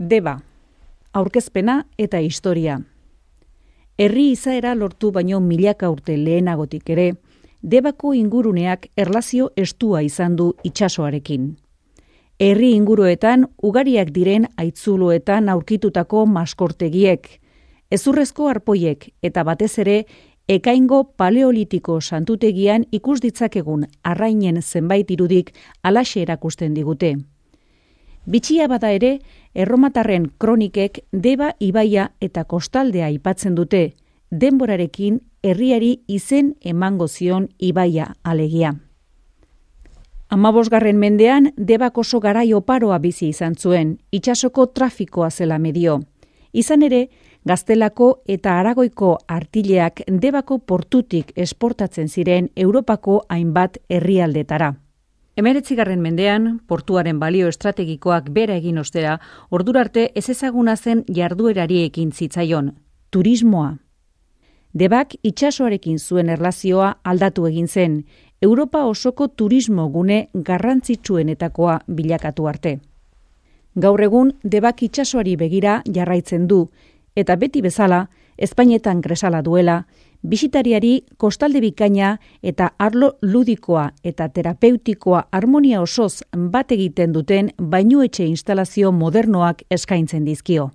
Deba, aurkezpena eta historia. Herri izaera lortu baino milaka urte lehenagotik ere, Debako inguruneak erlazio estua izan du itsasoarekin. Herri inguruetan ugariak diren haitzuloetan aurkitutako maskortegiek, hezurrezko arpoiek eta batez ere ekaingo paleolitiko santutegian ikus ditzakegun arrainen zenbait irudik halaxe erakusten digute. Bitxia bada ere, erromatarren kronikek Deba ibaia eta kostaldea aipatzen dute, denborarekin herriari izen emango zion ibaia alegia. 15. mendean Debak oso garai oparoa bizi izan zuen, itsasoko trafikoa zela medio. Izan ere, Gaztelako eta Aragoiko artileak Debako portutik esportatzen ziren Europako hainbat herrialdetara. 19. mendean, portuaren balio estrategikoak bera egin ostera, ordurarte ezezaguna zen jarduerari ekin zitzaion, turismoa. Debak itsasoarekin zuen erlazioa aldatu egin zen, Europa osoko turismo gune garrantzitsuenetakoa bilakatu arte. Gaur egun Debak itsasoari begira jarraitzen du, eta beti bezala, Espainetan gresala duela, bisitariari kostalde bikaina eta arlo ludikoa eta terapeutikoa harmonia osoz bat egiten duten bainuetxe instalazio modernoak eskaintzen dizkio.